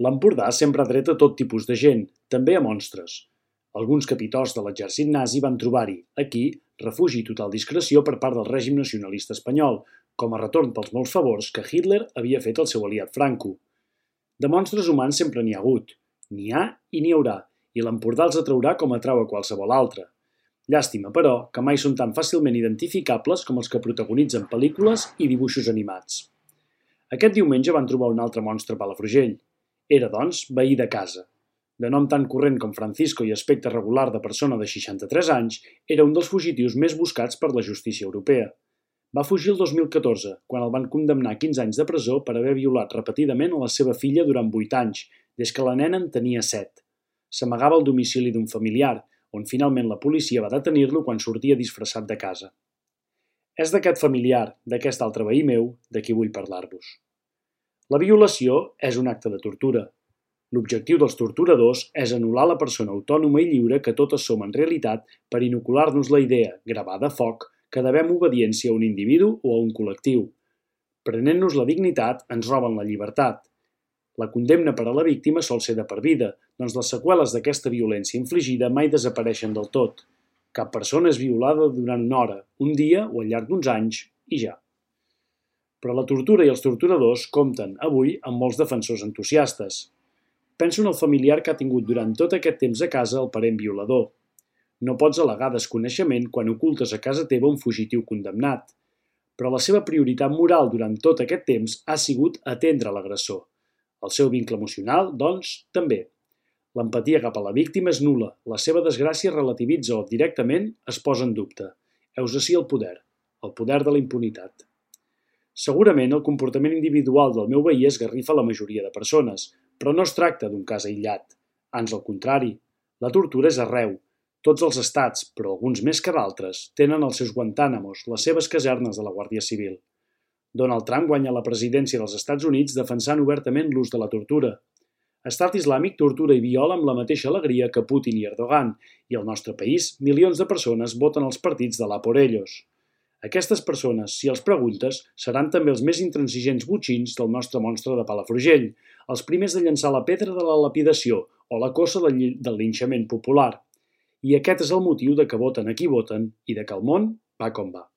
L'Empordà sempre ha tret a tot tipus de gent, també a monstres. Alguns capitosts de l'exèrcit nazi van trobar-hi, aquí, refugi i total discreció per part del règim nacionalista espanyol, com a retorn pels molts favors que Hitler havia fet al seu aliat Franco. De monstres humans sempre n'hi ha hagut. N'hi ha i n'hi haurà, i l'Empordà els atraurà com atrau a qualsevol altre. Llàstima, però, que mai són tan fàcilment identificables com els que protagonitzen pel·lícules i dibuixos animats. Aquest diumenge van trobar un altre monstre a Palafrugell. Era, doncs, veí de casa. De nom tan corrent com Francisco i aspecte regular de persona de 63 anys, era un dels fugitius més buscats per la justícia europea. Va fugir el 2014, quan el van condemnar a 15 anys de presó per haver violat repetidament a la seva filla durant 8 anys, des que la nena en tenia 7. S'amagava al domicili d'un familiar, on finalment la policia va detenir-lo quan sortia disfressat de casa. És d'aquest familiar, d'aquest altre veí meu, de qui vull parlar-vos. La violació és un acte de tortura. L'objectiu dels torturadors és anul·lar la persona autònoma i lliure que totes som en realitat per inocular-nos la idea, gravada a foc, que devem obediència a un individu o a un col·lectiu. Prenent-nos la dignitat, ens roben la llibertat. La condemna per a la víctima sol ser de per vida, doncs les seqüeles d'aquesta violència infligida mai desapareixen del tot. Cap persona és violada durant una hora, un dia o al llarg d'uns anys, i ja. Però la tortura i els torturadors compten, avui, amb molts defensors entusiastes. Penso en el familiar que ha tingut durant tot aquest temps a casa el parent violador. No pots al·legar desconeixement quan ocultes a casa teva un fugitiu condemnat. Però la seva prioritat moral durant tot aquest temps ha sigut atendre l'agressor. El seu vincle emocional, doncs, també. L'empatia cap a la víctima és nul·la, la seva desgràcia relativitza o directament es posa en dubte. Heus ací el poder de la impunitat. Segurament el comportament individual del meu veí esgarrifa la majoria de persones, però no es tracta d'un cas aïllat. Ans al contrari, la tortura és arreu. Tots els estats, però alguns més que d'altres, tenen els seus Guantánamos, les seves casernes de la Guàrdia Civil. Donald Trump guanya la presidència dels Estats Units defensant obertament l'ús de la tortura. Estat Islàmic tortura i viola amb la mateixa alegria que Putin i Erdogan, i al nostre país milions de persones voten els partits de l'A por ellos. Aquestes persones, si els preguntes, seran també els més intransigents botxins del nostre monstre de Palafrugell, els primers de llançar la pedra de la lapidació o la cossa del linxament popular. I aquest és el motiu de que voten a qui voten i de que el món va com va.